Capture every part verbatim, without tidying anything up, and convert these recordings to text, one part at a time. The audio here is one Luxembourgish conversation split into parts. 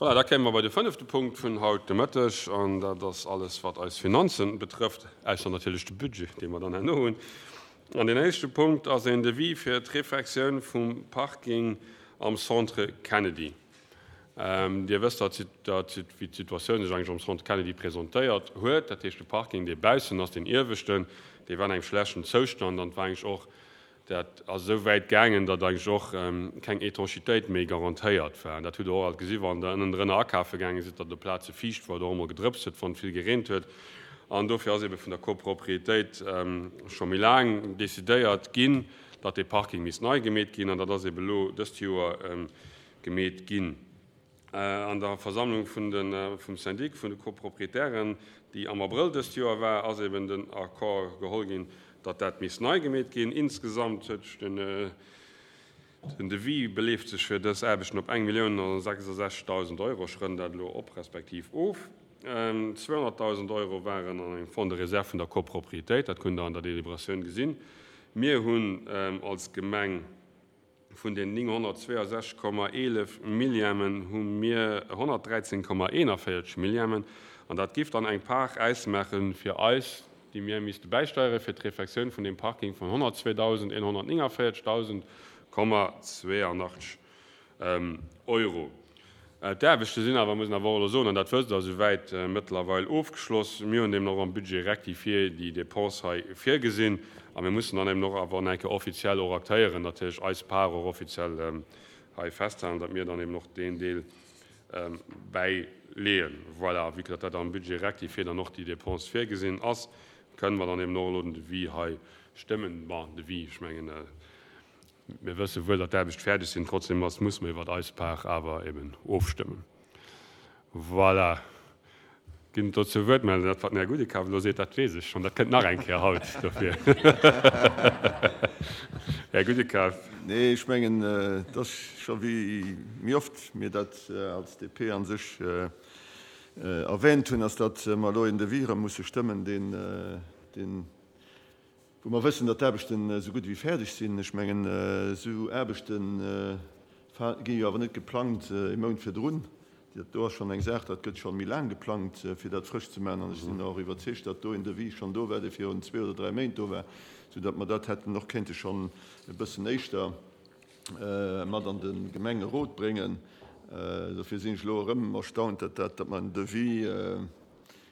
Voilà, da kéime mer bei de fënnefte Punkt vun haut de Mëtteg, an dat ass alles, wat eis Finanzen betrëfft, ausser natierlech de Budget, dee mer dann herno hunn. An deen éischte Punkt ass een Devis fir d'Refectioun vum Parking am Centre Kennedy. Dir wësst, datt, wéi d'Situatioun sech eigentlech am Centre Kennedy presentéiert huet. Dat heescht, de Parking, dee baussen ass, deen ieweschten, dee war an engem schlechten Zoustand an et war eigentlech och Dat ass esou wäit gaangen, datt eigentlech och keng Etanchitéit méi garantéiert war. An dat hutt Der och alt gesi wann Der ënnendrënner akafe gaange sidd, datt op Plaze fiicht war oder och emol gedrëpst huet, wann et vill gereent huet. An dofir ass ebe vun der Copropriétéit scho méi laang decidéiert ginn, datt dee Parking misst nei gemeet ginn. An dat ass ebe elo dëst Joer gemeet ginn. An der Versammlung vun de vum Syndic vun de Copropriétairen, déi am Abrëll dëst Joer war, ass eben den Accord geholl ginn, datt dat misst nei gemeet ginn. Insgesamt huet sech den den Devis beleeft sech fir dës Aarbechten op eng Millioun a sechsundsechzegdausend Euro. Ech rënnen dat elo op respektiv of. Zweehonnertdausend Euro waren an engem Fonds de réserve vun der Copropriétéit, dat kunnt Der an der Deliberatioun gesinn. Mir hunn als Gemeng Vun den nénghonnertzweeasechzeg Komma eelef Millièmen hu mir honnertdräizéng Komma eenanvéierzeg Millièmen, an dat giff dann eng Part ausmaache fir eis, déi mir misste bäisteiere fir d'Refectioun vun deem Parking vun honnertzweedausendeenhonnertnénganvéierzegdausend Komma zweeanachtzeg Euro. D'Aarbechte sinn awer, muss een awer och elo soen, an dat wësst Der, esouwäit mëttlerweil ofgeschloss. Mir hunn deemno och am Budget rectifié déi Dépense hei virgesinn a mir mussen dann eben och awer eng Kéier offiziell och aktéieren, natierlech eis Part och offiziell hei festhalen, datt mir dann eben och deen Deel bäileeën. Voilà, vue que datt dat am Budget rectifié dann och déi Dépense virgesinn ass, kënnen mer dann eben och elo den Devis hei stëmmen. Bon, Devis, ech mengen, Mir wësse wuel, datt d'Aarbecht fäerdeg sinn, trotzdem ass, muss mer iwwert eis Part awer eben ofstëmmen. Voilà. Ginn et dozou Wuertmeldungen? Dat, wat den Här Gudekaf elo seet, dat weess ech schonn. Dat kënnt nach eng Kéier haut. Dofir, Här Gudekaf. Nee, ech mengen, et ass scho wéi méi oft mir dat als D P a sech erwähnt hunn, ass, datt mer elo een Devis erëm musse stëmmen, deen, deen, wou mer wëssen, datt d'Aarbechten esou gutt ewéi fäerdeg sinn. Ech mengen, esou Aarbechte gi jo awer net geplangt ee Mount virdrun. Dat do ass schonn eng Saach, dat gëtt scho méi laang geplangt, fir dat frësch ze maachen. An ech sinn och iwwerzeegt, datt do een Devis schonn do war, dee virun zwee oder dräi Méint do war, soudatt mer dat hätten och kéinte schonn e bëssen éischter mat an de Gemengerot bréngen. Dofir sinn ech elo erëm erstaunt, datt dat, datt mer en Devis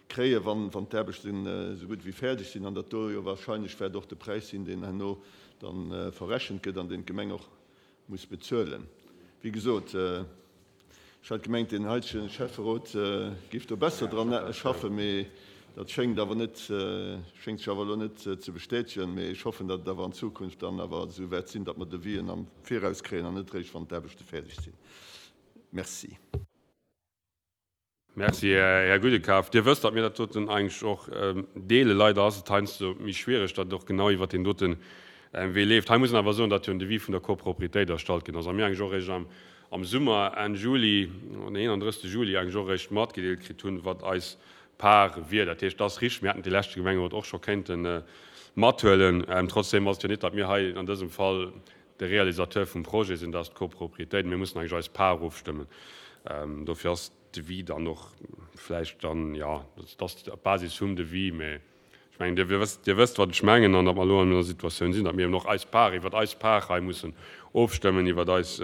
kréien, wann d'Aarbechten esou gutt ewéi fäerdeg sinn, an datt do jo wahrscheinlech wäert och de Präis sinn, deen herno da verrechent gëtt an deen d'Gemeng och muss bezuelen. Wéi gesot, ech hat gemengt, deen heitege Schäfferot géif do besser dran schaffen, mee dat schéngt awer net, schéngt sech awer elo net ze bestätegen. Mee ech hoffen, datt et awer an Zukunft dann awer esou wäert sinn, datt mer Devisen am Viraus kréien an net eréischt, wann d'Aarbechte fäerdeg sinn. Merci. Merci, Här Gudekaf. Dir wësst, datt mir dat doten eigentlech och deelen. Leider ass et heiansdo méi schwierig, datt et och genau iwwert deen dote Wee leeft. Hei muss een awer soen, datt jo en Devis vun der Copropriétéit erstallt ginn ass a mir eigentlech och eréischt am Summer, Enn Juli, den eenanddrëssegste Juli eigentlech och eréischt matgedeelt kritt hunn, wat eis Part wier. Dat heescht, et ass richteg, mir hätten dee leschte Gemengerot och scho kéinte mathuelen. Trotzdem ass et jo net, datt mir hei an dësem Fall de Réalisateur vum Projet sinn, dat ass d'Copropriétéit. Mir mussen eigentlech eis Part ofstëmmen. Dofir ass Devis dann och vläicht dann, jo, dat ass op Basis vum Devis, mä ech mengen, Dir wësst, Dir wësst, wat ech mengen, an datt mer elo an der Situatioun sinn, datt mir eben och eis Part iwwert eis Part hei mussen ofstëmmen, iwwert eis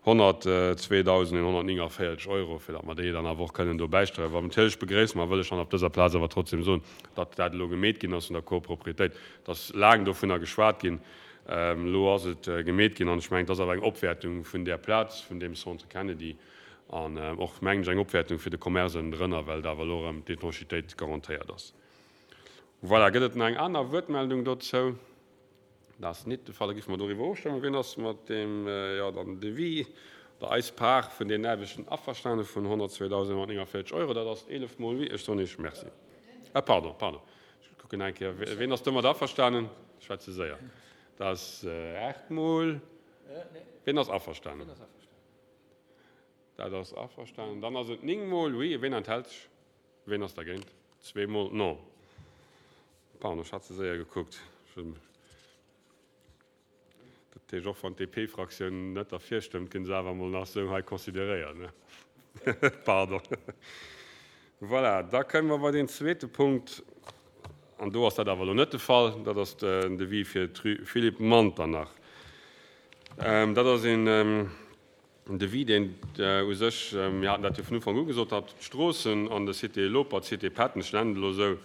honnertzweedausendeenhonnertnénganvéierzeg Euro, fir datt mer déi dann awer och kënnen do bäisteieren. Wat natierlech begréisse mer, wëll ech dann op dëser Plaz awer trotzdem soen, datt dat elo gemeet ginn ass vun der Copropriétéit. Et ass laang dovunner geschwat ginn, elo ass et gemeet ginn, an ech mengen, et ass awer eng Opwäertung vun där Plaz, vun deem Centre Kennedy, An och, mengen ech, eng Opwäertung fir de Commerce ënnendrënner, well et awer elo erëm d'Étanchitéit garantéiert ass. Voilà, gëtt et nach eng aner Wuertmeldung dozou? Dat ass nit de Fall. Da géife mer doriwwer ofstëmmen. Wien ass mat deem, jo, dann Devis oder eis Part vun deenen Aarbechten averstane vun honnertzweedausendnonhonnertnénganvéierzeg Euro? Dat ass eelef Mol oui. Ech soen Iech Merci. Ah, pardon, pardon. Ech kucken nach eng Kéier. Wien ass domat averstanen? Ech war ze séier. Dat ass aacht Mol. Wien ass averstanen? Dat ass averstanen. Dann ass et néng Mol oui. Ween enthält sech? Ween ass dergéint? Zwee Mol non. Pardon, ech hat ze séier gekuckt. Dat heescht, och wann d'D P-Fraktioun net derfir stëmmt, ginn se awer emol nach esou hei consideréiert, ne? Pardon. Voilà, da kënne mer bei den zweete Punkt. An do ass dat awer elo net de Fall. Dat ass den Devis fir d'Rue Philippe Manternach. Dat ass een Devis, deen u sech, mir haten dat jo vun Ufank u gesot, datt d'Stroossen an der Cité Lopert, Cité Patton, ech nennen et elo esou,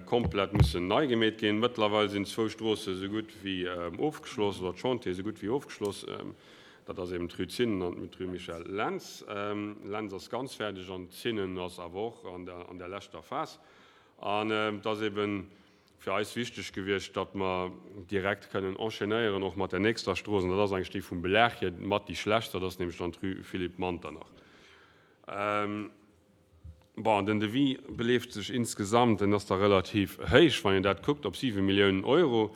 komplett mussen nei gemeet ginn. Mëttlerweil sinn zwou Stroosse sou gutt wéi ofgeschloss, oder d'Chantiere sou gutt wéi ofgeschloss. Dat ass eben d'Rue Zinnen an d'Rue Michel Lentz. Lentz ass ganz fäerdeg an Zinnen ass awer och an der, an der leschter Phas. An et ass eben fir eis wichteg gewiescht, datt mer direkt kënnen enchaînéieren och mat der nächster Strooss. An dat ass eigentlech déi vum Belag hier mat déi schlechtst, dat ass nämlech dann d'Rue Philippe Manternach. Bon, den Devis beleeft sech insgesamt, en ass da relativ héich, wann een dat kuckt, op siwe Milliounen Euro.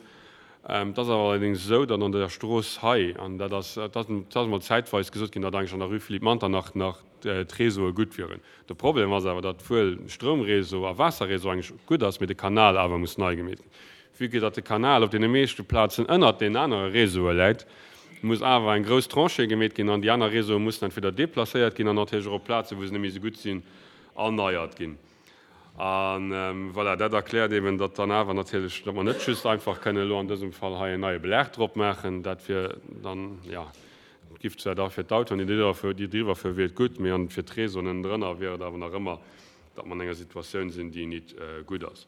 Et ass awer allerdéngs esou, datt an der Strooss hei, an dat ass, dat ass emol zäitweis gesot ginn, datt eigentlech an der Rue Philippe Manternach nach d'Réseaue gutt wieren. De Problem ass awer, datt wuel Stroumréseau a Waasserréseau eigentlech gutt ass, mee de Kanal awer muss nei gemeet ginn. Vue que datt de Kanal op deene meeschte Plazen ënnert deenen anere Réseaue läit, muss awer eng grouss Tranchée gemeet ginn an déi aner Réseaue mussen entweder deplacéiert ginn an natierlech och op Plazen, wou se net méi esou gutt sinn, erneiert ginn. A voilà, dat erkläert eben, datt dann awer natierlech, datt mer net just einfach kënnen elo an dësem Fall hei en neie Belag drop maachen. Dat wier dann, jo, et giff zwar da fir d'Autoen, déi driwwer fueren, wier et gutt, mee an fir d'Réseauen ënnendrënner wier et awer nach ëmmer, datt mer an enger Situatioun sinn, déi nit gutt ass.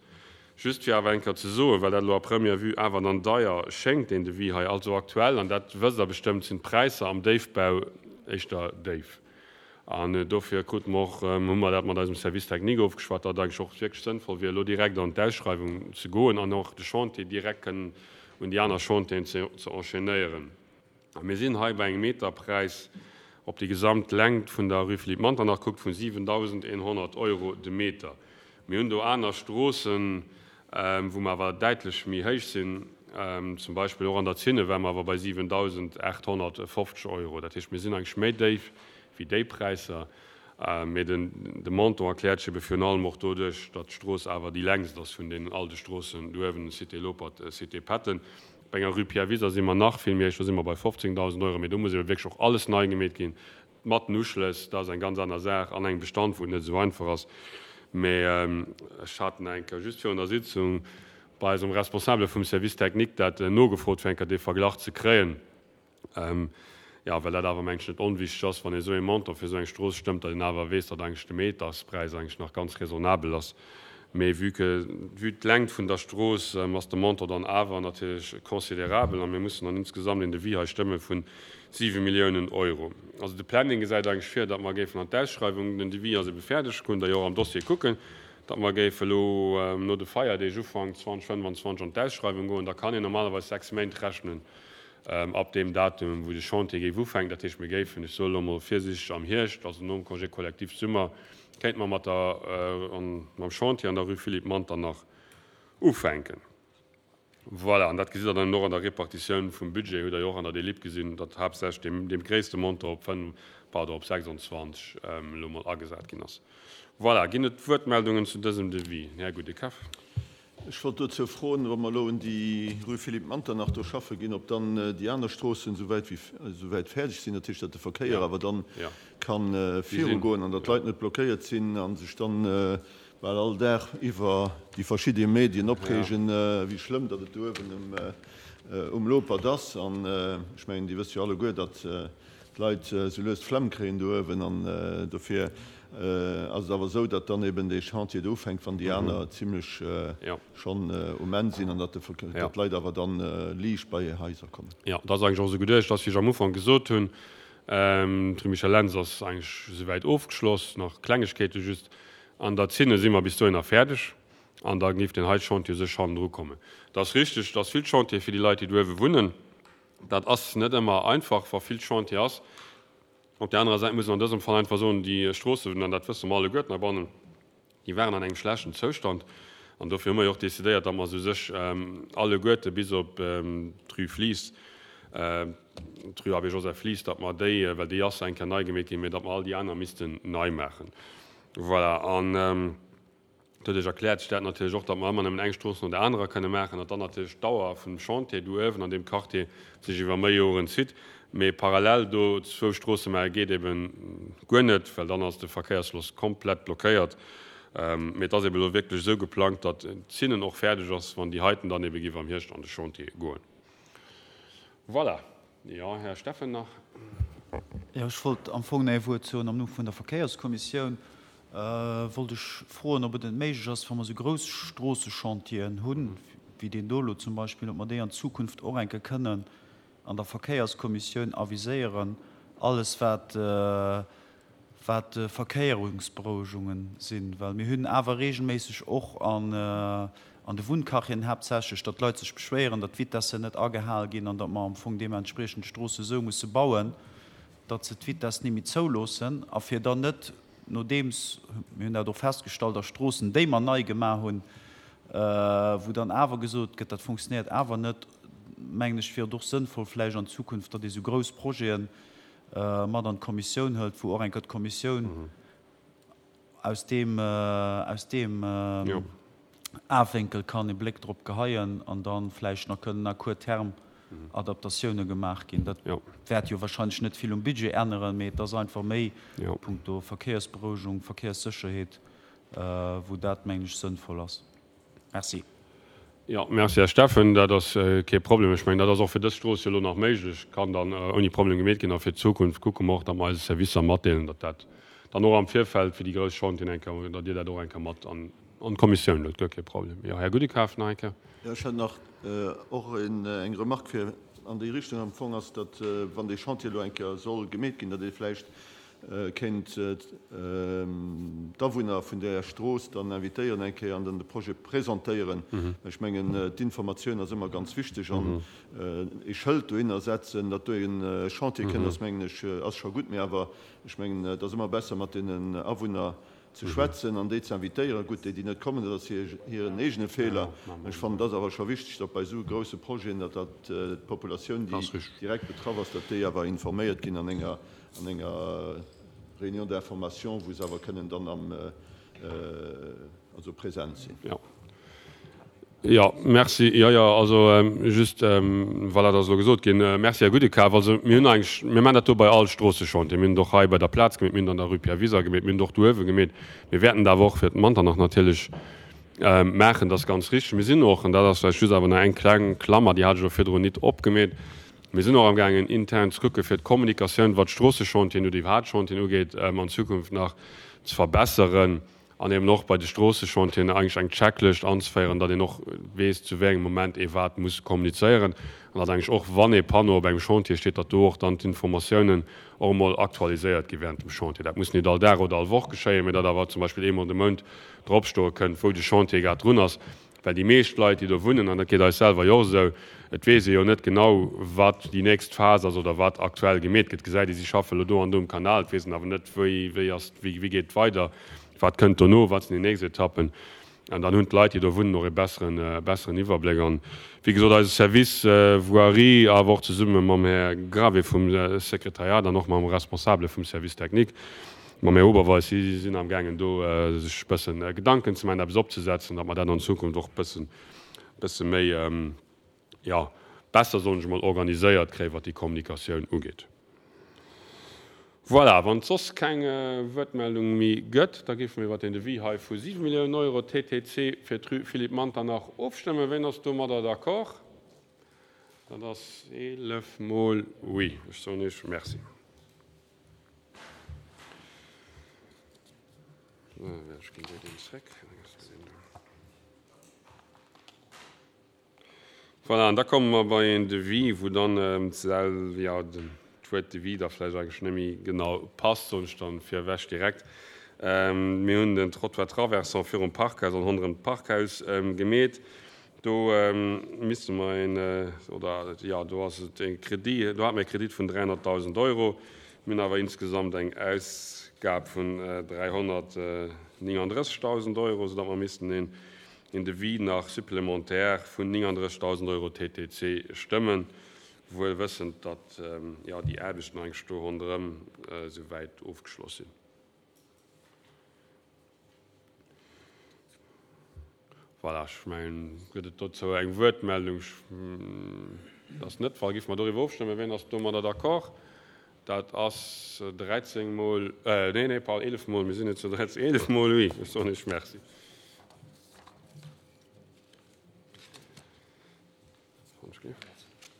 Just fir awer eng Kéier ze soen, well dat elo à première vue awer dann deier schéngt, deen Devis hei, also aktuell, an dat wësst Der bestëmmt, sinn d'Präisser am Déifbau éischter déif. An dofir krute mer och, hu mer dat mat eisem Service technique ofgeschwat, datt et eigentlech och wierklech sënnvoll wier, elo direkt an d'Ausschreiwung ze goen an och de Chantier direkt kënnen un déi aner Chantieren ze enchaînéieren. A mir sinn hei bei engem Meterpräis, op déi gesamt Längt vun der Rue Philippe Manternach kuckt, vun siwentausendeenhonnert Euro de Meter. Mir hunn do aner Stroossen, wou mer awer däitlech méi héich sinn. Zum Beispill och an der Zinne ware mer awer bei siwentausendachthonnertfofzeg Euro. Dat heescht, mir sinn eigentlech méi déif wéi déi Präisser. Mee den, de Montant erkläert sech ebe virun allem och doduerch, datt d'Strooss awer déi längst ass vun deenen all de Stroossen do uewen, Cité Lopert, Cité Patton. Bei enger Rue Pierre Wiser si mer nach vill méi héich, do si mer bei fofzéngdausend Euro. Mee do muss ebe wierklech och alles nei gemeet ginn, mat den Uschlëss. Dat ass eng ganz aner Saach an engem Bestand, wou et net esou einfach ass. Mee ech hat eng Kéier just virun der Sitzung bei eisem Responsabele vum Service technique dat nogefrot, fir eng Kéier dee Verglach ze kréien. Jo, well dat awer, mengen ech, net onwichtig ass, wann ee esou ee Montant fir esou eng Strooss stëmmt, datt een awer weess, datt eigentlech de Meterspräis eigentlech nach ganz raisonnabel ass. Mee vue que, vue d'Längt vun der Strooss, ass de Montant dann awer natierlech considérabel a mir mussen dann insgesamt een Devis hei stëmme vu siwe Milliounen Euro. Also de Planning gesäit eigentlech vir, datt mer géifen an d'Ausschreiwung, den Devis ass ebe fäerdeg, kënnt Der jo och am Dossier kucken, datt mer géife elo no de Feierdeeg Ufank zweitausendfënnwanzwanzeg an d'Ausschreiwung goen. Da kann een normalerweis sechs Méint rechnen ab deem Datum, wou de Chantier géif ufänken. Dat heescht, mir géifen, ech soe elo emol virsiichteg, am Hierscht, also nom Congé collectif Summer, kéinte mer mat der, mam Chantier an der Rue Philippe Manternach ufänken. Voilà, an dat gesitt Der dann och an der Repartitioun vum Budget, hutt Der jo och an der Delib gesinn, datt haaptsächlech deem, deem gréisste Montant op fënnf, pardon, op sechsundzwanzeg elo emol agesat ginn ass. Voilà, ginn et Wuertmeldungen zu dësem Devis? Här Goudekaf. Ech wollt dozou froen, wa mer elo un déi Rue Philippe Manternach do schaffe ginn, ob dann déi aner Stroossen esouwäit wéi esouwäit fäerdeg sinn, dat heescht, datt de Verkéier awer dann ka virugoen an datt d'Leit net blockéiert sinn a sech dann bal all Dag iwwer déi verschidde Medien opreegen, wéi schlëmm datt et do uewen um Lopert ass. An ech mengen, Dir wësst jo alleguer, datt d'Leit esou lues d'Flemm kréien do uewen an dofir ass et awer esou, datt dann eben dee Chantier do ufänkt, wann déi aner zimlech schonn um Enn sinn an datt d'Leit awer dann liicht bei hir Haiser kommen. Jo, dat ass eigentlech och esou geduecht. Ass, wéi ech am Ufank gesot hunn, d'Rue Michel Lentz ass eigentlech esouwäit ofgeschloss, nach Klengegkeete just. An der Zinne si mer bis dohinner fäerdeg an da géif deen hei Chantier u sech hannendru kommen. Et ass richteg, et ass vill Chantier fir déi Leit, déi do uewe wunnen. Dat ass net ëmmer einfach, wa vill Chantier ass. Op där anerer Säit muss een an dësem Fall einfach soen, déi Stroossen, an dat wësse mer alleguerten heibannen, déi waren an engem schlechten Zoustand. An dofir hu mer jo och decidéiert, datt mer se u sech alleguerte bis op d'Rue Flies, d'Rue Abbé Joseph Flies, datt mer déi, well déi ass eng Kéier nei gemeet ginn, mä datt mer all déi aner missten nei maachen. Voilà. An doduerch erkläert sech dat natierlech och, datt mer ëmmer nëmmen eng Strooss no der anerer kënne maachen, datt dann natierlech d'Dauer vum Chantier do uewen an deem Quartier sech iwwer méi Joren zitt. Mee parallel do zwou Stroosse maache geet eben guer net, well dann ass de Verkéiersfloss komplett blockéiert. Mee et ass eben elo wierklech esou geplangt, datt d'Zinnen och fäerdeg ass, wann déi heiten dann ebe géif am Hierscht an de Chantier goen. Voilà. Jo, Här Steffen nach. Jo, ech wollt am Fong nach ee Wuert soen am Numm vun der Verkéierskommissioun. Wollt ech froen, ob et net méiglech ass, wa mer esou grouss Stroossechantieren hunn, wéi deen do elo zum Beispill, ob mer déi an Zukunft och eng Kéier kënnen an der Verkéierskommissioun aviséieren, alles wat wat Verkéierungsberouegungen sinn, well mir hunn awer regelméisseg och an an de Wunnquartieren haaptsächlech, datt d'Leit sech beschwéieren, datt d'Vitessen net agehal ginn an datt mer am Fong deementspriechend d'Stroosse esou musse bauen, datt se d'Vitess ni méi zouloossen a fir dann net, nodeems, mir hunn dat och festgestallt a Stroossen, déi mer nei gemaach hunn, wou dann awer gesot gëtt, dat funktionéiert awer net, mengen ech, wier et och sënnvoll vläicht an Zukunft, datt ee sou grouss Projete mat an d'Kommissioun hëlt, wou och eng Kéier d'Kommissioun aus deem, aus deem Awénkel kann e Bléck drop geheien an da vläicht nach kënnen à court terme Adaptatioune gemaach ginn. Dat wäert jo wahrscheinlech net vill um Budget änneren, mee et ass einfach méi punkto Verkéiersberouegung, Verkéierssécherheet, wou dat, mengen ech, sënnvoll ass. Merci. Jo, merci, Här Steffen. Dat ass kee Problem. Ech mengen, dat ass och fir dës Strooss jo elo nach méiglech, kann dann ouni Problem gemeet ginn. A fir d'Zukunft kucke mer och, datt mer eise Servicer matdeelen, datt dat dann och am Virfeld fir déi grouss Chantieren eng Kéier, datt Dir dat och eng Kéier mat an d'Kommissioun huelt. Guer kee Problem. Jo, Här Gudekaf nach eng Kéier. Jo, ech hätt nach och eng Remarque fir an déi Richtung am Fong ass, datt, wann dee Chantier elo eng Kéier soll gemeet ginn, datt ee vläicht kéint d'Awunner vun där Strooss dann invitéieren eng Kéier an dann de Projet presentéieren. Ech mengen, d'Informatioun ass ëmmer ganz wichteg an ee Schëld dohinner setzen, datt do e Chantier kënnt, ass, mengen ech, ass scho gutt. Mee awer, ech mengen, et ass ëmmer besser, mat deenen Awunner ze schwätzen an déi ze invitéieren. Gutt, déi, déi net kommen, dat ass hiren eegene Feeler. Ech fannen, et ass awer scho wichteg, datt bei esou grousse Projeten, datt dat d'Populatioun, déi direkt betraff ass, datt déi awer informéiert ginn an enger an enger Réunion d'information, wou se awer kënnen dann am, also present sinn. Jo. Jo, merci. Jo, jo, also just, voilà, dat ass elo gesot ginn. Merci, Här Gudekaf. Also mir hunn eigentlech, mir maachen dat do bei all Stroossechantier. Mir hunn et och hei bei der Plaz gemeet, mir hunn et an der Rue Pierre Wiser gemeet, mir hunn et och do uewe gemeet. Mir wäerten et awer och fir d'Manternach natierlech maachen, dat ass ganz richtig. Mir sinn och, an dat ass vläicht just awer nach eng kleng Klammer, déi hat ech och virdrun nit opgemeet, Mir sinn och amgaangen intern ze kucke fir d'Kommunikatioun, wat d'Stroossechantieren oder iwwerhaapt d'Chantieren ugeet, an Zukunft nach ze verbesseren an eben och bei de Stroossechantieren eigentlech eng Checklëscht anzeféieren, datt een och weess, zu wéi engem Moment ee wat muss kommunizéieren an datt eigentlech och, wann ee Panneau op engem Chantier steet, datt do och dann d'Informatiounen och emol aktualiséiert gi während dem Chantier. Dat muss nit all Dag oder all Woch geschéien, mä datt awer zum Beispill eemol de Mount dropstoe kënnt, wou de Chantier grad drun ass. Well déi meescht Leit, déi do wunnen, an dat geet eis selwer jo och esou, et weess ee jo net genau, wat déi nächst Phas ass oder wat aktuell gemeet gëtt. Gesäit ee, si schaffe elo do an do um Kanal, et weess een awer net, wéi, wéi ass, wéi, wéi geet et weider, wat kënnt dono, wat sinn déi nächst Etappen. An dann hunn d'Leit, déi do wunnen, och ee besseren, besseren Iwwerbléck. An, wéi gesot, eise Service Voirie, awer och zesumme mam Här Gravé vum Sekretariat an och mam Responsabele vum Service technique, Mam Här Oberweis, si sinn amgaangen do sech e bësse Gedanken ze maachen, eppes opzesetzen, datt mer dat an Zukunft och e bëssen, bësse méi, jo, besser, soen ech emol, organiséiert kréien, wat déi Kommunikatioun ugeet. Voilà, wann et soss keng Wuertmeldung méi gëtt, da géife mir iwwert deen Devis hei vu siwe Milliounen Euro T T C fir d'Rue Philippe Manternach ofstëmmen. Wien ass domadder d'accord? Dat ass eelef mol oui. Ech soen Iech Merci. Voilà, an da komme mer bei een Devis, wou dann jo, d'Wuert Devis da vläicht eigentlech net méi genau passt, soen ech dann virewech direkt. Mir hunn den Trottoir traversant virum Parkhaus an honderëm d'Parkhaus gemeet. Do misste mer een, oder jo, do ass et e Kredit, do hate mer e Kredit vun dräihonnertdausend Euro. Mir hunn awer insgesamt eng Ausgab vun dräihonnertnénganddrëssegdausend Euro, soudatt mer missten een Devis nach supplémentaire vun nénganddrëssegdausend Euro T T C stëmmen, wuel wëssend, datt jo déi Aarbechten eigentlech do ronderëm esouwäit ofgeschloss sinn. Voilà, ech mengen, gëtt et dozou eng Wuertmeldung? Dat ass net de Fall. Géife mer doriwwer ofstëmmen? Wien ass domadder d'accord? Dat ass dräizéng mol, nee, nee, pardon, eelef mol, mir sinn net zu dräizéng, eelef mol oui. Ech soen Iech Merci.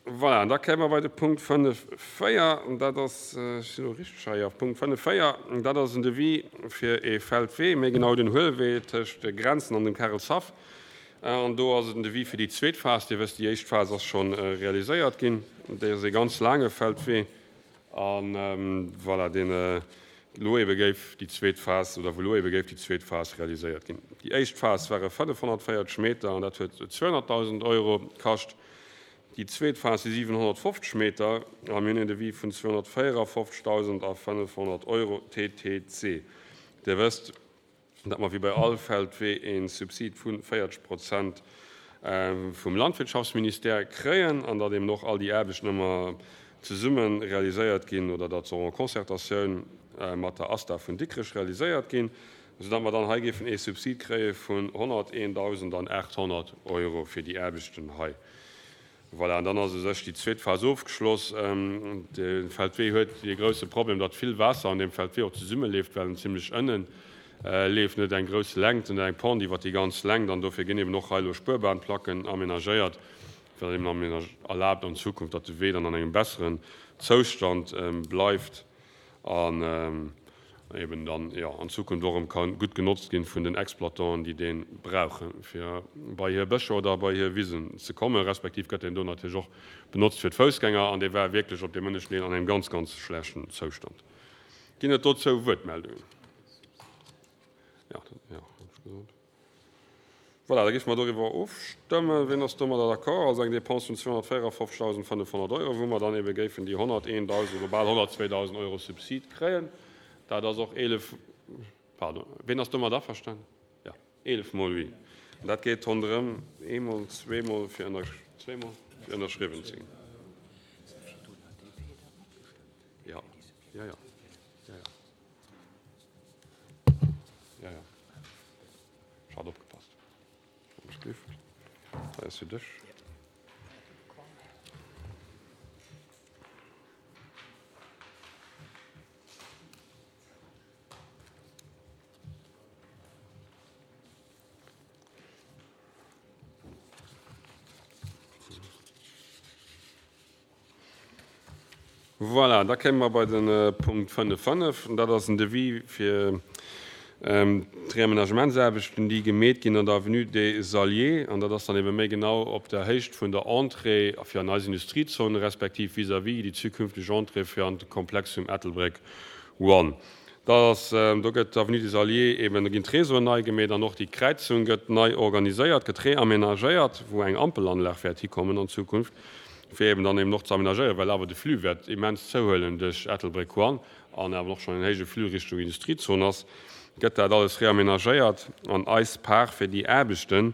Voilà, an da kéime mer bei de Punkt fënnef véier, an dat ass, ech sinn elo richteg hei, jo, Punkt fënnef véier, an dat ass en Devis fir ee Feldwee, méi genau den Huelwee tëscht Grenzen an dem Karelshaff. An do ass et en Devis fir déi zweet Phas. Dir wësst, déi éischt Phas ass scho realiséiert ginn. Dat ass ee ganz laange Feldwee. A voilà, deen elo ebe géif déi zweet Phas, oder wou elo ebe géif déi zweet Phas realiséiert ginn. Déi éischt Phas ware fënnefhonnertvéierzeg Meter an dat huet zweehonnertdausend Euro kascht. Déi zweet Phas si siwenhonnertfofzeg Meter a mir hunn en Devis vun zweehonnertvéierafofzegdausendafënnefhonnert Euro T T C. Dir wësst, datt mer wéi bei all Feldwee e Subsid vu véierzeg Prozent vum Landwirtschaftsministère kréien an datt eben och all déi Aarbechten ëmmer zesumme realiséiert ginn oder datt se och en Concertatioun mat der ASTA vun Dikrech realiséiert ginn, soudatt mer dann hei géifen ee Subsid kréie vun honnerteendausendachthonnert Euro fir déi Aarbechten hei. Voilà, an dann ass u sech déi zweet Phas ofgeschloss. De Feldwee huet dee grousse Problem, datt vill Waasser an deem Feldwee och zesummeleeft, well en zimlech ënne leeft, net eng grouss Längt, en huet eng Pente iwwer déi ganz Längt an dofir ginn eben och hei elo Spuerbahnplacken amenagéiert, wat eben erlaabt an Zukunft, datt de Wee dann an engem besseren Zoustand bleift an eben dann, jo, an Zukunft och erëm ka gutt genotzt ginn vun den Exploitanten, déi dee brauchen, fir bei hir Bëscher oder bei hir Wisen ze kommen, respektiv gëtt deen do natierlech och benotzt fir d'Foussgänger an dee war wierklech op deem ënneschten Deel an engem ganz, ganz schlechten Zoustand. Ginn et dozou Wuertmeldungen? Jo, jo, hunn ech gesot. Voilà, da géife mer doriwwer ofstëmmen. Wien ass domadder d'accord? Also eng Dépense vun zweehonnertvéierafofzegdausendfënnefhonnert Euro, wou mer dann ebe géifen déi honnerteendausend oder bal honnertzweedausend Euro Subsid kréien. Dat ass och eelef, pardon, wien ass domat averstanen? Jo, eelef mol oui. An dat geet ronderëm eemol, zweemol fir ënner, zweemol fir ënnerschriwwen ze ginn. Jo, jo, jo, jo, jo. Jo, jo. Ech hat opgepasst. Hei ass fir dech. Voilà, da kéime mer bei de Punkt fënnef fënnef. Dat ass en Devis fir d'Reamenagementsaarbechten, déi gemeet ginn an der Avenue des Alliés. An dat ass dann ebe méi genau op der Héicht vun der Entrée fir an eis Industriezone, respektiv vis-à-vis déi zukünfteg Entrée fir an de Komplex vum Ettelbréck One. Dat ass, do gëtt d'Avenue des Alliés eben, do ginn d'Réseauen nei gemeet an och déi Kräizung gëtt nei organiséiert, gëtt reamenagéiert, wou eng Ampelanlag wäert hikommen an Zukunft, fir eben dann eben och ze amenagéieren, well awer de Flux wäert immens zouhuelen duerch Ettelbréck One an awer och schonn en héije Flux Richtung Industriezon ass, gëtt dat alles reamenagéiert an eis Part fir déi Aarbechten,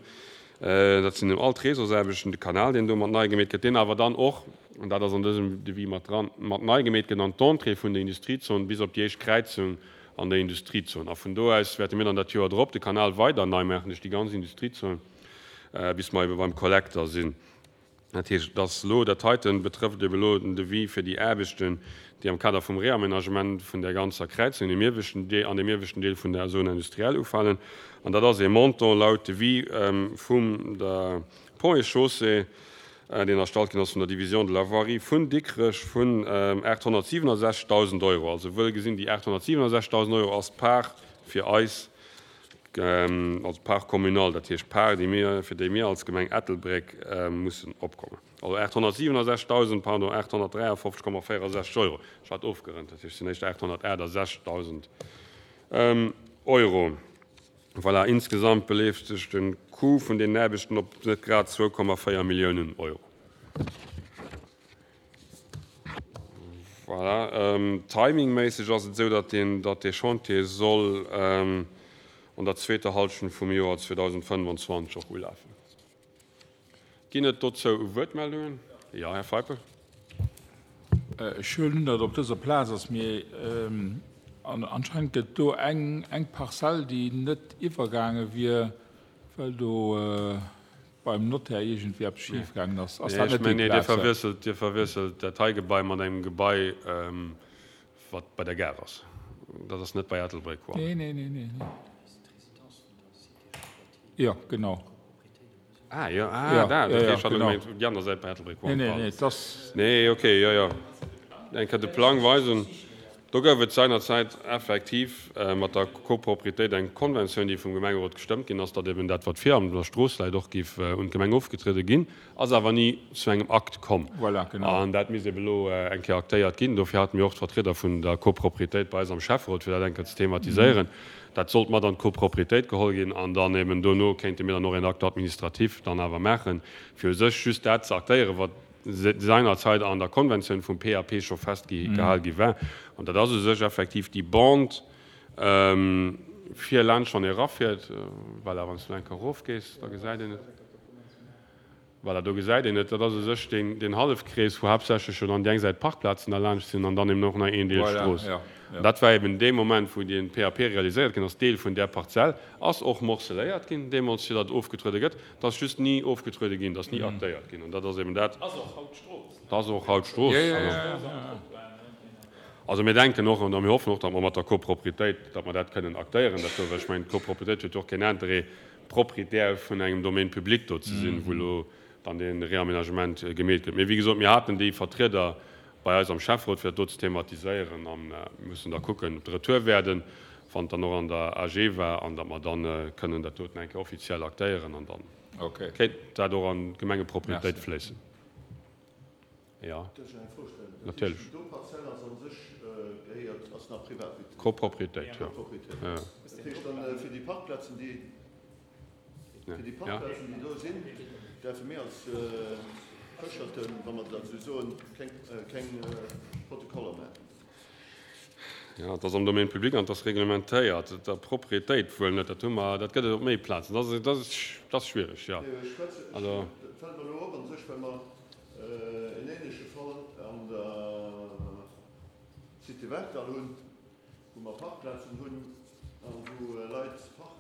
dat sinn all d'Réseausaarbechten, de Kanal, deen do mat nei gemeet gëtt, deen awer dann och, an dat ass an dësem Devis mat dran, mat nei gemeet gëtt an d'Entrée vun der Industriezon bis op déi éischt Kräizung an der Industriezon. A vun do aus wäerte mir dann dat Joer drop de Kanal weider nei maachen duerch déi ganz Industriezon, bis mer ebe beim Kollekter sinn. Dat heescht, dass elo dat heiten betrëfft ebe elo den Devis fir déi Aarbechten, déi am Kader vum Reamenagement vun där ganzer Kräizung an deem ieweschten Deel, an deem ieweschten Deel vun der Zone industrielle ufalen. An dat ass ee Montant laut Devis vum der Ponts et Chaussées, deen erstallt ginn ass vun der Division de la Voirie vun Dikrech, vun aathonnertsiwenundsechzegdausend Euro. Also wuel gesinn, déi aathonnertsiwenundsechzegdausend Euro ass d'Part fir eis, also d'Part communale, dat heescht d'Part, déi mir, fir déi mir als Gemeng Ettelbréck mussen opkommen. Also aathonnertsiwenundsechzegdausend, pardon, aathonnertdräiafofzeg Komma véierundsechzeg Euro. Ech hat ofgerënnt, dat heescht, et sinn éischter aathonnertaachtundsechzegdausend Euro. Voilà, insgesamt beleeft sech de Coût vun deenen Aarbechten op net grad zwou Komma véier Milliounen Euro. Voilà, timingméisseg ass et esou, datt deen, datt dee Chantier soll an der zweeter Hallschent vum Joer zweedausendfënnwanzwanzeg och ulafen. Ginn et dozou Wuertmeldungen? Jo, Här Feipel. Ech huelen un, datt op dëser Plaz ass, mee anscheinend gëtt do eng, eng Parzell, déi net iwwergaange wier, well do beim Notaire iergendwéi eppes schif gaangen ass. Ass Nee, dat ech net déi mengen, nee, Dir Plaz? verwiesselt, Dir verwiesselt dat hei Gebai mat engem Gebai, wat bei der Gare ass. Dat ass net bei Ettelbréck One. Nee, nee, nee, nee, nee. Jo, genau. Ah, jo, ah, Ja, dat, ja, okay, ja, ech hat genau. gemengt, déi aner Säit bei Ettelbréck Nee, One, nee, pardon. nee, et ass. Nee, okay, jo, jo. Eng Kéier de Plang weisen. Do gouf et seinerzäit effektiv mat der Copropriétéit eng Konventioun, déi vum Gemengerot gestëmmt ginn ass, datt eben dat, wat vir an der Strooss läit, och géif un d'Gemeng ofgetriede ginn, ass awer ni zu engem Akt komm. Voilà, genau. An dat misst eben elo eng Kéier aktéiert ginn. Dofir hate mir och d'Vertrieder vun der Copropriétéit bei eis am Schäfferot, fir dat eng Kéier ze thematiséieren. Dat sollt mat an d'Copropriétéit geholl ginn an dann eben dono kéinte mir dann och en Acte administratif dann awer maachen, fir u sech just dat ze aktéieren, wat seinerzeit an der Konventioun vum P A P scho festgehal gi war. An dat ass u sech effektiv déi Bande fir laanscht, wann ee erafiert, voilà, wann s du eng Kéier erofgees, da gesäit een et. Voilà, do gesäit een et, dat ass u sech deen, deen Hallefkrees, wou haaptsächlech schon an déi eng Säit Parkplazen derlaanscht sinn an dann eben och nach een Deel Voilà, Strooss. ja, ja. Dat war eben dee Moment, wou deen P A P realiséiert ginn ass, Deel vun där Parzell ass och morceléiert ginn, deemools, fir datt ofgetruede gëtt. Dat ass just ni ofgetruede ginn, dat ass ni aktéiert ginn. An dat ass eben dat. Ass och haut Strooss, ne? Dat ass och haut Strooss. Ja, ja, ja, ja, ja. Also mir denken och, an mir hoffen och, datt mer mat der Copropriétéit, datt mer dat kënnen aktéieren, dat do, well ech mengen, d'Copropriétéit huet jo och keen Intérêt, Propriétaire vun engem Domaine public do ze sinn, wou elo dann dee Réaménagement gemeet gëtt. Mee wéi gesot, mir haten déi Vertrieder bei eis am Schäfferot, fir dat do ze thematiséieren, a mir mussen da kucken, ob de Retour werden, wann et dann och an der A G war, an datt mer dann kënnen dat doten eng Kéier offiziell aktéieren, an dann Okay. kéint dat och an d'Gemengepropriétéit Merci. fléissen. Ja. Dierf ech eng Fro stellen? Dat Natierlech. heescht, déi do Parzell ass an sech gehéiert, ass nach privat? Copropriétéit, jo. Copropriétéit. Ja. Dat heescht dann, fir déi Parkplazen, déi, Ja. fir déi Parkplazen, déi do sinn, däerfe mir als Fëscherten, wa mer dat esou soen, keng, keng Protokoller maachen. Ja, dat ass am Domaine public an dat ass reglementéiert. Der Propriétéit wuel net, dat hu mer, dat gëtt et op méi Plazen. Dat ass, dat ass, dat ass schwierig, ja. Nee, ech schwätze, ech, Also dat fält mir elo op an sech, well mer en ähnleche Fall an der Cité Werkdall hunn, wou mer Parkplazen hunn an wou Leit Park,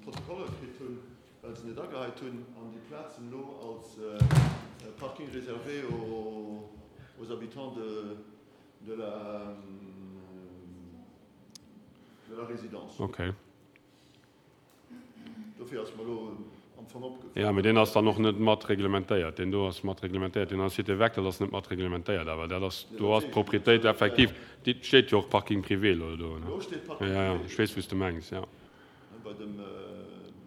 Protokoller kritt hunn, well se net ageheit hunn, an déi Plazen elo als Parking réservé aux, aux habitants de, de la, de la résidence. Okay. Dofir ass mir elo am Fong opgefallen. Ja, mee deen ass dann och net mat reglementéiert. Deen do ass mat reglementéiert. Deen an der Cité Werkdall ass net mat reglementéiert, awer dat ass, do ass d'Propriétéit effektiv. Déi steet jo och Parking privé elo do, ne? Do steet Parking Ja, ja, privé. ech weess, wou s de mengs, ja. Bei dem,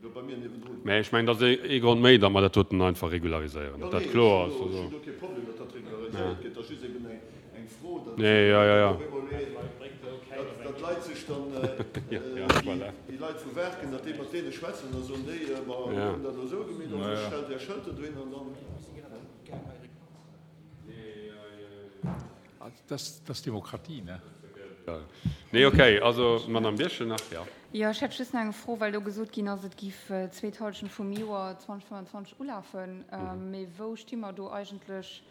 do bei mir niewendrun. Mä ech mengen, dat ass ee Grond méi, datt mer dat doten einfach regulariséieren, Jo, datt dat nee, kloer ech ass. hunn do, Also ech hunn do kee Problem, datt dat regulariséiert gëtt. Dat ass just eben eng, eng Fro, datt Nee, ja, ja, ja. op eemol ee, datt, datt d'Leit sech dann, Ja, ja, déi, voilà. déi Leit vu Werken, datt déi mat deene schwätzen, da soen déi, ma mir Ja. hunn dat elo esou gemeet, an Ja, sech ja. stellt Är Schëlter dohin an dann. Das, das ist Demokratie, ne? Ja. Nee, okay, also Madame Birchen nach, ja. Ja, ech hätt just nach eng Fro, well do gesot ginn ass, et giff zweet Hallschent vum Joer zweitausendfënnfundzwanzeg ulafen. Mhm. Mee wou sti mer do eigentlech?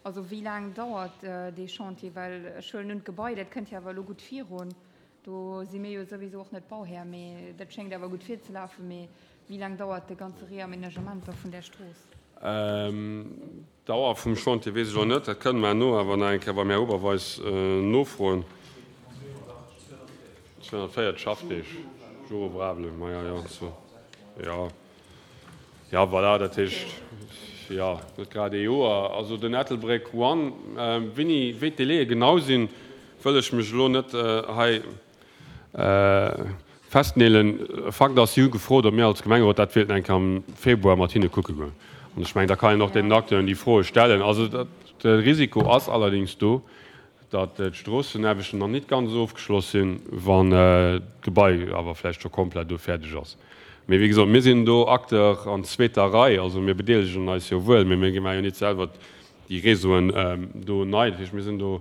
Also wéi laang dauert dee Chantier? Well ech huelen un d'Gebai, dat kënnt ja awer elo gutt virun. Do si mir jo sowieso och net Bauherr, mee dat schéngt awer gutt virzelafen. Mee wéi laang dauert de ganze Reaménagement da vun der Strooss? Ähm, Dauer vum Chantier weess ech och net, dat kënnen mer no awer nach eng Kéier beim Här Oberweis, äh, nofroen. zweihundertvéierzeg Schaffdeeg, Jour ouvrable, ma ja, ja, so. Ja. Ja, voilà, dat heescht, ja, net grad ee Joer. Also den Ettelbréck One, ähm, wéini, wéi d'Délaië genau sinn, wëll ech mech elo net, äh, hei, äh, festneelen. Fakt ass, si hu gefrot, ob mir als Gemengerot dat wéilten eng Kéier am Februar mat hinne kucke goen. An ech mengen, da kann een och den Acteuren déi Froe stellen. Also dat, de Risiko ass allerdings do, datt d'Stroossenaarbechten nach net ganz ofgeschloss sinn, wann d'Gebai awer vläicht scho komplett do fäerdeg ass. Mee wéi gesot, mir sinn do Acteur an zweeter Rei, also mir bedeelegen eis jo wuel, mee mir maache jo net selwer déi Réseauen do nei. Dat heescht, mir sinn do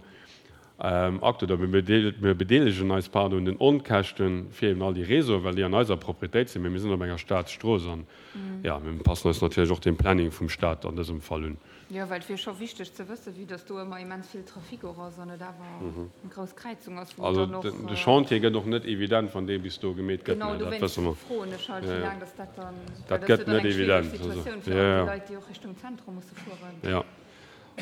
Akt, oder mir bedeelegen eis, pardon, un den Onkäschten fir eben all déi Réseauen, well déi an eiser Proprietéit sinn, mee mir sinn op enger Staatsstrooss an, jo, mir passen eis natierlech och dem Planning vum Staat an dësem Fall un. Jo, well et wier scho wichteg ze wëssen, vue dass do ëmmer immens vill Trafic och ass an et awer eng grouss Kräizung ass, wou Also dann och. de Chantier gëtt och net evident, wann dee bis do gemeet gëtt, Genau, dat dowéinst wësse mer. froen ech halt, wéi laang dass dat dann, well Dat dat ass gëtt jo dann net eng schwiereg evident. Also, Situatioun fir jo, all déi jo. Leit, déi och Richtung Zentrum musse fueren. Jo.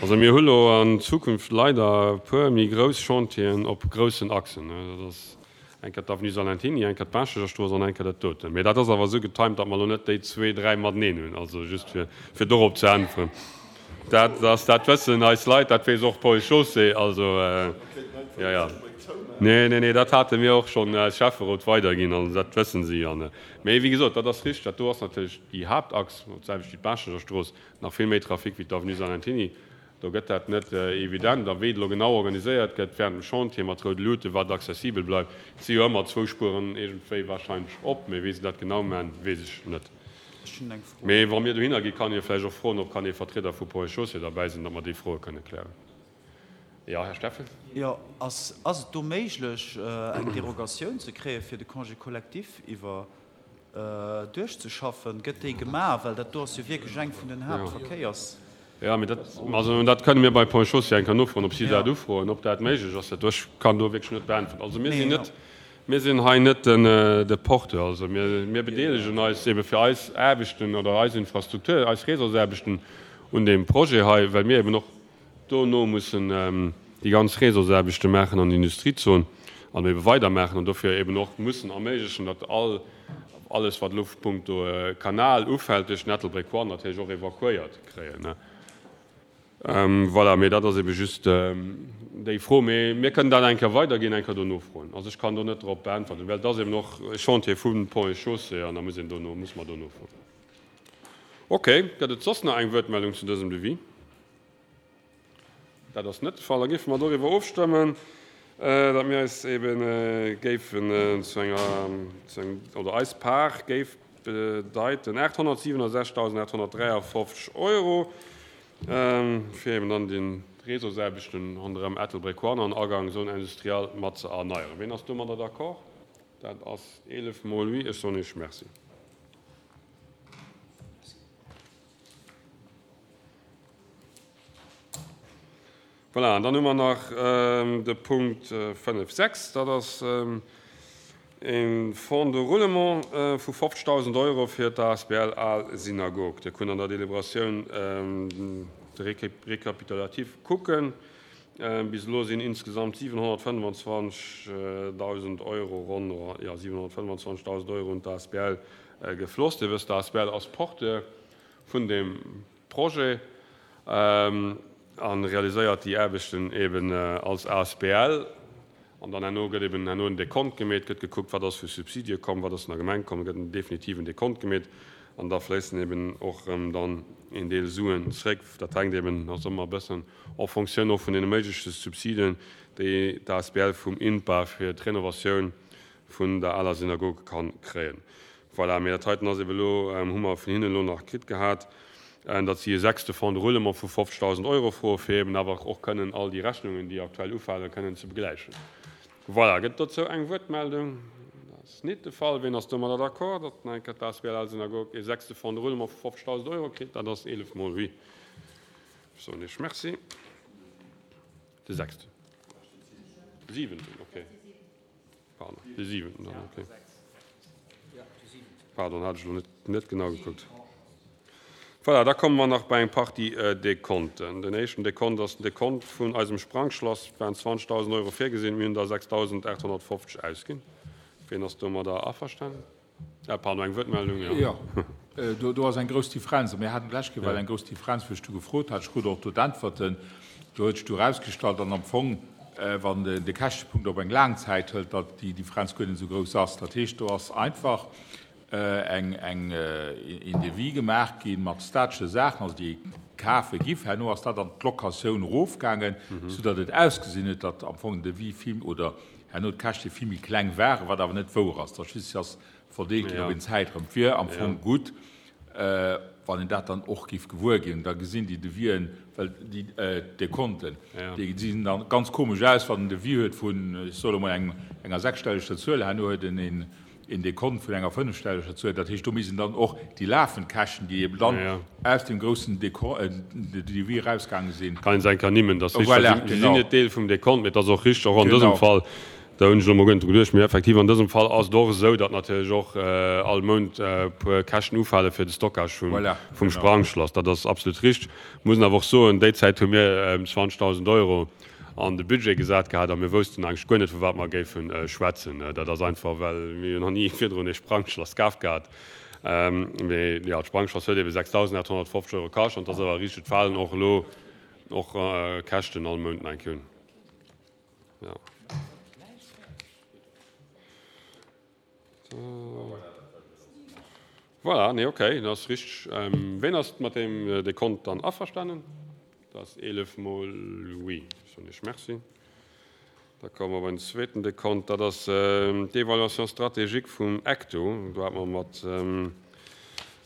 Also mir hu lo an Zukunft leider e puer méi grouss Chantieren op groussen Achsen. Dat ass eng Kéier d'Avenue Salentiny, eng Kéier d'Baaschtegerstrooss an eng Kéier dat doten. Mee dat ass awer esou getimt, datt mer elo net déi zwee, dräi mateneen hunn. Also just fir, fir dorop ze äntweren. Dat ass, dat wëssen eis Leit, dat weess och d'Ponts et Chaussées. Also, jo, jo. Nee, nee, nee, dat hate mir och schonn als Schäfferot weiderginn. Also dat wëssen si. An, mee wéi gesot, dat ass richteg, dat do ass natierlech déi Haaptachs, d'selwecht wéi d'Baaschtegerstrooss, nach vill méi Trafic wéi d'Avenue Salentiny. Do gëtt dat net evident. A wéi et elo genau organiséiert gëtt während dem Chantier mat roude Luuten, wat accessibel bleift, et si jo ëmmer zwou Spueren iergendwéi wahrscheinlech op, mee wéi se dat genau maachen, weess ech net. Ech hunn eng Fro. Mee wa mir dohinner ginn, kann ee vläicht och froen, ob kann ee Vertrieder vu Ponts et Chaussées derbäi sinn, datt mer déi Froe kënne klären. Jo, Här Steffen. Jo, ass ass et do méiglech, eng Derogatioun ze kréie fir de Congé collectif iwwer duerchzeschaffen? Gëtt déi gemaach? Well dat do ass jo wierklech eng vun den Haaptverkéiers. Jo, mee dat, also dat kënne mir bei Ponts et Chaussées eng Kéier nofroen, ob si dat ufroen, ob dat méiglech ass. Dat do, ech kann do wierklech net beäntweren. Also mir sinn net, mir sinn hei net den, de Porteur. Also mir, mir bedeelegen eis ebe fir eis Aarbechten oder eis Infrastruktur, eis Réseausaarbechten un deem Projet hei, well mir eben och dono mussen déi ganz Réseausaarbechte maachen an der Industriezon an ebe weidermaachen an dofir eben och mussen erméiglechen, datt all, alles wat elo punkto Kanal ufält duerch den Ettelbréck One natierlech och evakuéiert kréien. Voilà, mee dat ass ebe just déi Fro. Mee mir kënnen dat eng Kéier weiderginn, eng Kéier do nofroen. Also ech kann do net drop beäntwerten, well et ass eben och e Chantier vu Ponts et Chaussées an da muss een dono, muss mer do nofroen. Okay, gëtt et soss nach eng Wuertmeldung zu dësem Devis? Dat ass net de Fall. Da géife mer doriwwer ofstëmmen, datt mir eis ebe géifen zu enger, zu engem, oder eis Part géif bedeiten aathonnertsiwenundsechzigdausendaathonnertdräiafofzeg Euro, fir eben dann den Réseausaarbechten ronderëm Ettelbréck One an Agang Zone industrielle mat ze erneieren. Wien ass domadder d'accord? Dat ass eelef mol oui. Ech soen Iech Merci. Voilà, an dann hu mer nach de Punkt fënnef sechs. Dat ass e Fonds de roulement vu fofzegdausend Euro fir d'A S B L Al Synagog. Dir kunnt an der Deliberatioun de Rekapitulatif kucken. Bis elo sinn insgesamt siwenhonnertfënnefenzwanzigdausend Euro ronn, ja, siwenhonnertfënnefenzwanzigdausend Euro un d'A S B L gefloss. Dir wësst, d'A S B L ass Porteur vun dem Projet an realiséiert déi Aarbechten eben als A S B L. An dann herno gëtt eben herno en Dekont gemeet, gëtt gekuckt, wat ass vu Subsidie komm, wat ass vun der Gemeng komm, gëtt en definitiven Dekont gemeet. An da fléissen eben och erëm dann een Deel Suen zréck. Dat hänkt eben ass ëmmer e bëssen en fonction och vun deene méigleche Subsidien, déi d'A S B L vum INPA fir d'Renovatioun vun der aler Synagoge kann kréien. Voilà, mee dat heiten ass eben elo, hu mer vun hinnen elo nach kritt gehat, datt si e sechste Fonds de roulement vu fofzegdausend Euro froe fir eben awer och kënnen all déi Rechnungen, déi aktuell ufalen, kënnen ze begläichen. Voilà, gëtt dozou eng Wuertmeldung? Dat ass net de Fall. Wien ass domadder d'accord, datt nach eng Kéier d'A S B L Al Synagog e sechste Fonds de roulement vu fofzegdausend Euro kritt? Dat ass eelef mol oui. Ech soen Iech Merci. De sechsten. Siwenten, okay. Pardon, de siwenten dann, okay. Pardon, hat ech elo net, net genau gekuckt. Voilà, da komme mer nach bei eng Partie Dekonten. Den éischten Dekont ass den Dekont vun eisem Sprangschlass. Et waren zwanzigtausend Euro virgesinn, mir hunn der sechstausendachthonnertfofzeg ausginn. Wien ass domadder averstanen? Ah, pardon, eng Wuertmeldung, ja. Ja, do, do ass eng grouss Differenz. Mir haten d'lescht Kéier eng grouss Differenz, wou ech du gefrot hat. Ech krut och do d'Äntwerten. Do huet sech du erausgestallt, an am Fong, wann de, de Käschtepunkt op eng laang Zäit hëlt, datt déi Differenz guer net esou grouss ass. Dat heescht, do ass einfach eng, eng, een Devis gemaach ginn mat statesche Saachen, also déi kafe gi. Herno ass dat an d'Locatioun erofgaangen, soudatt et ausgesinn huet, datt am Fong den Devis vill oder herno d'Käschte vill méi kleng waren, wat awer net wouer ass. Dat just ass verdeelt ginn op een Zäitraum. Et wier am Fong gutt, wann een dat dann och géif gewuer ginn, da gesinn déi Devisen, well déi Dekonten, déi gesinn dann ganz komesch aus, wann en Devis huet vun, ech soe mol, enger sechsstelleger Zuel, herno huet en een Dekont vun enger fënnefstelleger Zuel. Dat heescht, do missten dann och déi lafend Käschten, déi eben dann aus deem groussen Devis erausgaange sinn. Kann een se eng Kéier ernimmen. Dat ass richteg, si sinn net Deel vum Dekont, mee et ass och richteg, och an dësem Fall, Da hunn ech elo mol guer net dru geduecht. Mee effektiv, an dësem Fall ass et och esou, datt natierlech och all Mount e puer Käschten ufale fir de Stockage vum Sprangschlass. Dat ass absolut richteg. Muss awer och soen, déi Zäit hu mir zwanzegdausend Euro an de Budget gesat gehat a mir woussten eigentlech guer net, vu wat mer géife schwätzen. Dat ass einfach, well mir jo nach ni virdrun ee Sprangschlass kaf gehat. Mee jo, d'Sprangschlass huet eebe sechsdausendachthonnertfofzeg Euro kascht an et ass awer richteg, et falen och elo och Käschten all Mount nach eng Kéier un. Ja. Voilà, nee, okay, dat ass richteg. Ähm, ween ass mat deem Dekont dann averstanen? Dat ass eelef mol oui. Ech soen Iech Merci. Da komme mer bei den zweeten Dekont. Dat ass d'Évaluation stratégique vum ECTO. Do hate mer mat,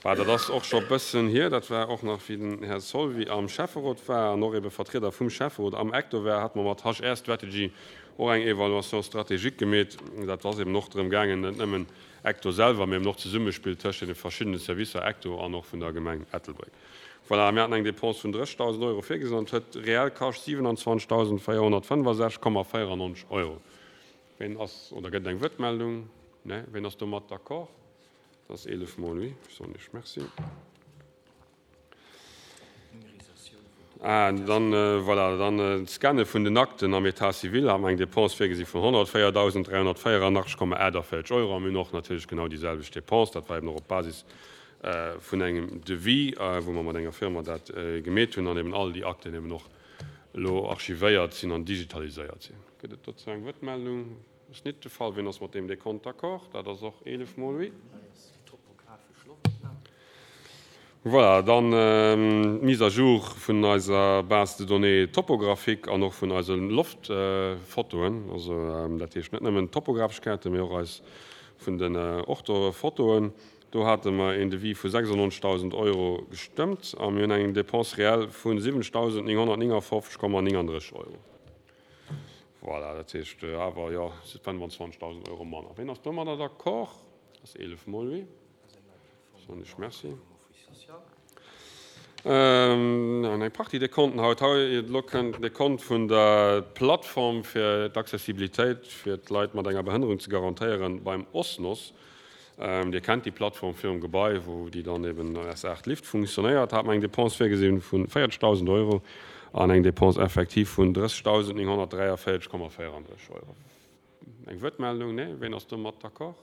bah, dat ass och scho e bëssen hier, dat war och nach wéi den Här Solvi am Schäfferot war an och ebe Vertrieder vum Schäfferot am ECTO war, hate mer mat H R Strategy och eng Évaluation stratégique gemeet. Dat ass eben och drëm gaangen, net nëmmen ECTO selwer, mee eben och d'Zesummespill tëscht deene verschiddene Servicer ECTO an och vun der Gemeng Ettelbréck. Voilà, mir haten eng Dépense vun drëssigdausend Euro virgesinn an et huet reell kascht siwenanzwanzigdausendvéierhonnertfënnefasechzeg Komma véierannonzeg Euro. Ween ass, oder gëtt et eng Wuertmeldung? Nee. Ween ass domat d'accord? Dat ass eelef mol oui. Ech soen Iech Merci. Ah, dann, voilà, dann d'Scanne vun den Akten am État civil hate mer eng Dépense virgesi vun honnertvéierdausend dräihonnertvéierannachtzeg Komma aachtavéierzeg Euro a mir hunn och natierlech genau déi selwecht Dépense. Dat war eben och op Basis vun engem Devis, wou mer mat enger Firma dat gemeet hunn an eben all déi Akten eben och elo archivéiert sinn an digitaliséiert sinn. Gëtt et dozou eng Wuertmeldung? Ass nit de Fall. Wien ass mat deem Dekont d'accord? Dat ass och eelef mol oui. Voilà, dann d'Mise à jour vun eiser Base de données topographique an och vun eise Loftfotoen. Also dat heescht net nëmmen topographesch Kaarten, mee och eis vun den Orthofotoen. Do hate mer een Devis vu sechsundneunzigtausend Euro gestëmmt a mir hunn eng Dépense réelle vu siwenzigtausendnénghonnertnéngafofzeg Komma nénganddrësseg Euro. Voilà, dat heescht awer, jo, fënnwanzwanzigtausend Euro manner. Wien ass domadder d'accord? Dat ass eelef mol oui. Soen ech Merci. An eng Partie Dekonten haut. Hei elo kënnt den Dekont vun der Plattform fir d'Accessibilitéit fir d'Leit mat enger Behënnerung ze garantéieren beim OSNOS. Dir kennt déi Plattform virum Gebai, wou déi dann eben S aacht Lift funktionéiert. Hat mer eng Dépense virgesinn vu véierzegdausend Euro an eng Dépense effective vun drëssigdausendnénghonnertdräiavéierzeg Komma véierandrësseg Euro. Eng Wuertmeldung? Nee? Ween ass domat d'accord?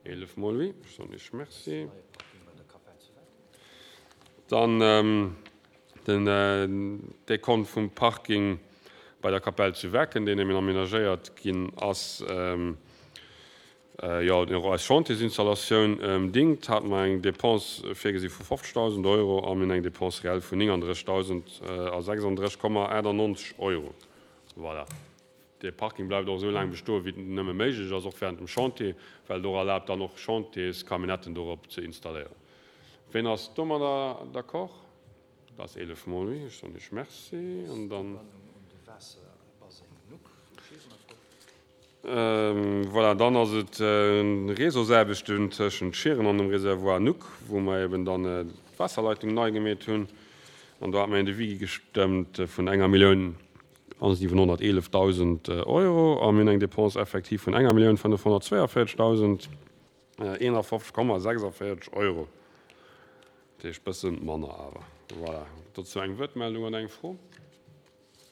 Eelef mol oui. Ech soen Iech Merci. Dann den Dekont vum Parking bei der Kapell zu Wecken, deen eben aménagéiert ginn ass, jo, deen och eis Chantiersinstallatioun dingt, hate mer eng Dépense virgesi vu fofzegdausend Euro a mir hunn eng Dépense réelle vun néngandrëssigdausend a sechsandrësseg Komma achtannonzeg Euro. Voilà. Dee Parking bleift och esou laang bestoen, wéi et nëmme méiglech ass, och während dem Chantier, well et och erlaabt, dann och Chantierscamionnetten dorop ze installéieren. Ween ass domadder d'accord? Dat ass eelef mol oui. Ech soen Iech Merci. An dann, voilà, dann ass et Réseausaarbechten tëschent Schieren an dem Réservoir Nuck, wou mer eben dann d'Waasserleitung nei gemeet hunn. An do hat mer een Devis gestëmmt vun enger Millioun a siwenhonnerteelefdausend Euro a mir hunn eng Dépense effective vun enger Millioun fënnefhonnertzweeënvierzegdausend eenafofzeg Komma sechsundvierzig Euro. Dat heescht bësse manner awer. Voilà. Dozou eng Wuertmeldung oder eng Fro?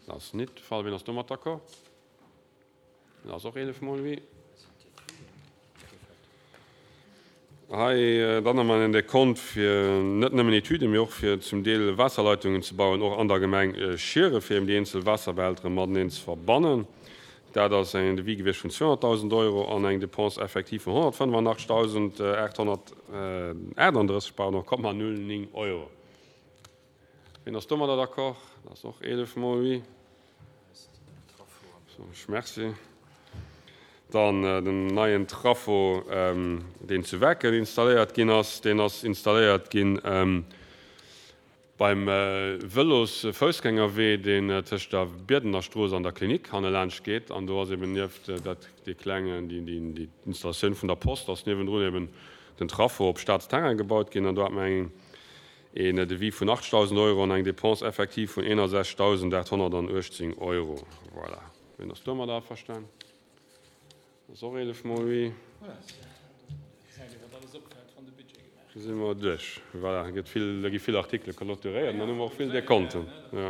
Dat ass nit de Fall. Wien ass domat d'accord? Dat ass och eelef mol oui. Hei dann hu mer en Dekont fir net nëmmen Etüden, mee och fir zum Deel Waasserleitungen ze bauen, och an der Gemeng Schieren, fir eben déi eenzel Waasserbehältere mateneen ze verbannen. Dat ass en Devis gewiescht vun zweehonnertdausend Euro an eng Dépense effective vun honnertfënnefanachtegdausendachthonnertaachtunddrësseg, pardon, Komma null néng Euro. Wien ass domadder d'accord? Dat ass och eelef mol oui. Merci. Dann den neien Trafo, deen zu Wecken installéiert ginn ass, deen ass installéiert ginn Beim Vëlos-Foussgängerwee, deen tëscht der Bierdener Strooss an der Klinik hannelaanscht geet, an do ass eben nieft dat dee klengen, déi, déi, déi Installatioun vun der Post ass niewendrun eben den Traffo op Staatsterrain gebaut ginn, an do hat mer eng, een Devis vun achtzegdausend Euro an eng Dépense effective vun eenundsechzegdausendachthonnertanachtzehn Euro. Voilà. Wien ass domadder averstan? Dat ass och eelef mol oui. Da si mer duerch. Voilà, da gëtt vill, da gi vill Artikele clôturéiert an dann hu mer och vill Dekonten. Jo.